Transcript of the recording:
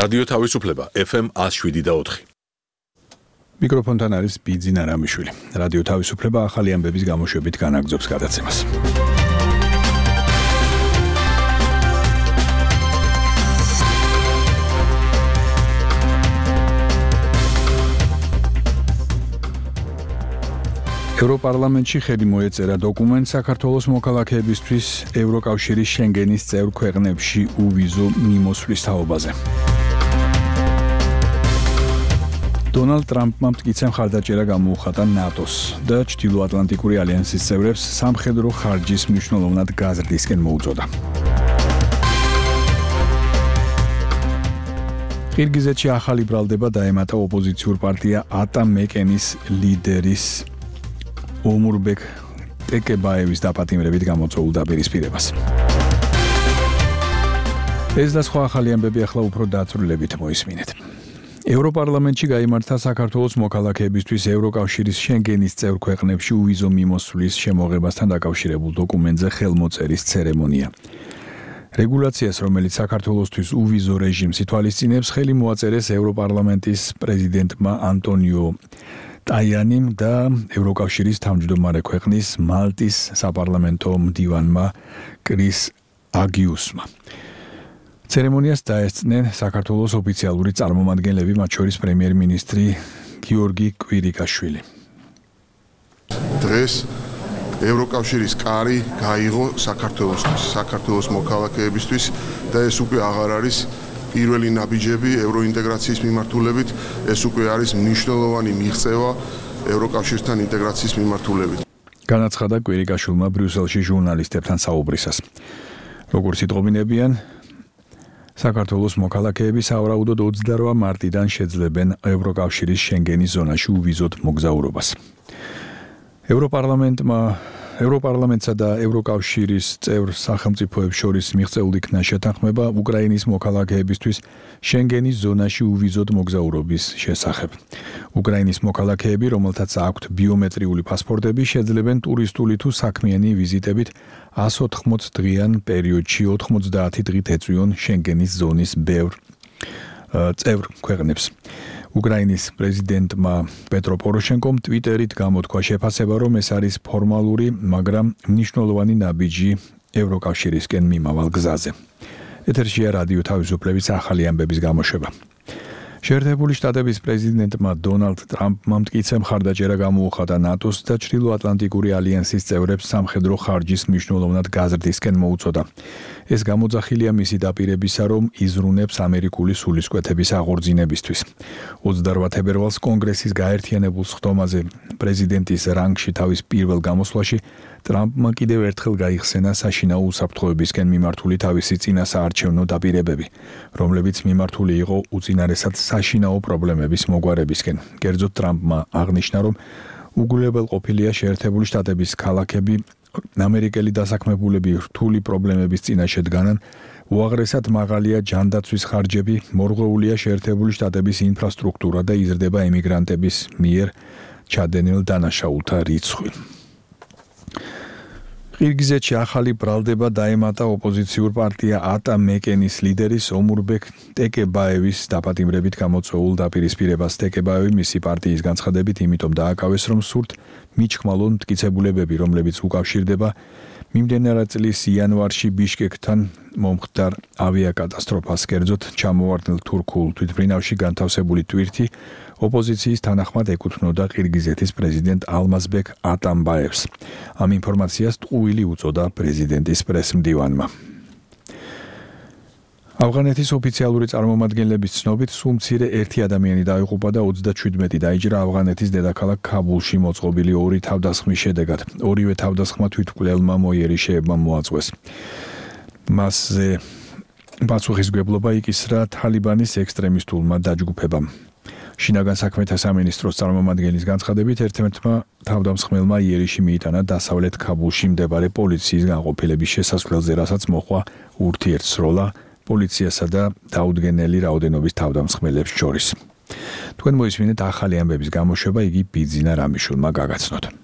რადიო თავისუფლება FM 107.4. მიკროფონთან არის ბიძინა რამიშვილი. რადიო თავისუფლება ახალი ამბების გამოშვებით განაგრძობს გადაცემას. ევროპარლამენტში ხელი მოეწერა დოკუმენტს საქართველოს მოქალაქეებისთვის ევროკავშირის შენგენის წევრ ქვეყნებში უვიზო მიმოსვლის თაობაზე. დონალდ ტრამპმა მტკიცე მხარდაჭერა გამოუხატა ნატოს და ჩრდილოატლანტიკური ალიანსის წევრებს სამხედრო ხარჯის მნიშვნელოვნად გაზრდისკენ მოუწოდა. ყირგიზეთში ახალი ბრალდება დაემატა ოპოზიციურ პარტია ატა-მეკენის ლიდერის ომურბეკ ტეკებაევის დაპატიმრებით გამოწვეულ დაპირისპირებას. ეს და სხვა ახალი ამბები ახლა უფრო დაწვრილებით მოისმინეთ. ევროპარლამენტში გაიმართა საქართველოს მოქალაქეებისთვის ევროკავშირის შენგენის წევრ ქვეყნებში უვიზო მიმოსვლის შემოღებასთან დაკავშირებულ დოკუმენტზე ხელმოწერის ცერემონია. რეგულაციას, რომელიც საქართველოსთვის უვიზო რეჟიმს ითვალისწინებს, ხელი მოაწერეს ევროპარლამენტის პრეზიდენტმა ანტონიო ტაიანიმ და ევროკავშირის თავმჯდომარე ქვეყნის მალტის საპარლამენტო მდივანმა კრის აგიუსმა. ცერემონიას დაესწნენ საქართველოს ოფიციალური წარმომადგენლები, მათ შორის პრემიერ-მინისტრი გიორგი კვირიკაშვილი. დღეს ევროკავშირის კარი გაიღო საქართველოს მოქალაქეებისთვის და ეს უკვე აღარ არის პირველი ნაბიჯები ევროინტეგრაციის მიმართულებით, ეს უკვე არის მნიშვნელოვანი მიღწევა ევროკავშირთან ინტეგრაციის მიმართულებით. განაცხადა კვირიკაშვილმა ბრიუსელში ჟურნალისტებთან საუბრისას. როგორც იტყობინებიან, საქართველოს მოქალაქეები სავარაუდოდ 28 მარტიდან შეძლებენ ევროკავშირის შენგენის ზონაში უვიზოდ მოგზაურობას. ევროპარლამენტსა და ევროკავშირის წევრ სახელმწიფოებს შორის მიღწეულ იქნა შეთანხმება უკრაინის მოქალაქეებისთვის შენგენის ზონაში უვიზოდ მოგზაურობის შესახებ. უკრაინის მოქალაქეები, რომელთაც აქვთ ბიომეტრიული პასპორტები, შეძლებენ ტურისტული თუ საქმიანი ვიზიტებით 180 დღიან პერიოდში 90 დღით ეწვიონ შენგენის ზონის წევრ ქვეყნებს. უკრაინის პრეზიდენტმა პეტრო პოროშენკომ ტვიტერით გამოთქვა შეფასება, რომ ეს არის ფორმალური, მაგრამ მნიშვნელოვანი ნაბიჯი ევროკავშირისკენ მიმავალ გზაზე. ეთერშია რადიო თავისუფლების ახალი ამბების გამოშვება. შეერთებული შტატების პრეზიდენტმა დონალდ ტრამპმა მტკიცე მხარდაჭერა გამოუხატა ნატოს და ჩრდილოატლანტიკური ალიანსის წევრებს სამხედრო ხარჯის მნიშვნელოვნად გაზრდისკენ მოუწოდა. ეს გამოძახილია მისი დაპირებისა, რომ იზრუნებს ამერიკული სულისკვეთების აღორძინებისთვის. 28 თებერვალს კონგრესის გაერთიანებულ სხდომაზე პრეზიდენტის რანგში თავის პირველ გამოსვლაში ტრამპმა კიდევ ერთხელ გაიხსენა საშინაო უსაფრთხოებისკენ მიმართული თავისი წინასაარჩევნო დაპირებები, რომლებიც მიმართული იყო უწინარესად საშინაო პრობლემების მოგვარებისკენ. კერძოდ ტრამპმა აღნიშნა, რომ უგულებელყოფილია შეერთებული შტატების ქალაქები ამერიკელი დასაქმებულები რთული პრობლემების წინაშე დგანან, უაღრესად მაღალია ჯანდაცვის ხარჯები, მორღვეულია შეერთებული შტატების ინფრასტრუქტურა და იზრდება ემიგრანტების მიერ ჩადენილ დანაშაულთა რიცხვი. ყირგიზეთში ახალი ბრალდება დაემატა ოპოზიციურ პარტია ატა-მეკენის ლიდერის ომურბეკ ტეკებაევის დაპატიმრებით გამოწვეულ დაპირისპირებას. ტეკებაევი მისი პარტიის განცხადებით იმიტომ დააკავეს, რომ სურთ მიჩქმალონ მტკიცებულებები, რომლებიც უკავშირდება მიმდევრ წლის იანვარში ბიშკეკთან მომხდარ ავიაკატასტროფას. კერძოდ ჩამოვარდნილ თურქულ თვითმფრინავში განთავსებული ტვირთი ოპოზიციის თანახმად ეკუთვნოდა ყირგიზეთის პრეზიდენტ ალმაზბეკ ატამბაევს. ამ ინფორმაციას ტყუილი უწოდა პრეზიდენტის პრესმდივანმა. ავღანეთის ოფიციალური წარმომადგენლების ცნობით, სულ მცირე ერთი ადამიანი დაიღუპა და 37 დაიჭრა ავღანეთის დედაქალაქ ქაბულში მოწყობილი ორი თავდასხმის შედეგად. ორივე თავდასხმა თვითმკვლელმა მოიერიშეებმა მოაწყვეს. მასზე პასუხისმგებლობა იკისრა თალიბანის ექსტრემისტულმა დაჯგუფებამ. შინაგან საქმეთა სამინისტროს წარმომადგენლის განცხადებით, ერთ-ერთმა თავდამსხმელმა იერიში მიიტანა დასავლეთ ქაბულში მდებარე პოლიციის განყოფილების შესასვლელზე, რასაც მოჰყვა ურთიერთსროლა პოლიციასა და დაუდგენელი რაოდენობის თავდამსხმელებს შორის. თქვენ მოისმინეთ ახალი ამბების გამოშვება, იგი ბიძინა რამიშვილმა გაგაცნოთ.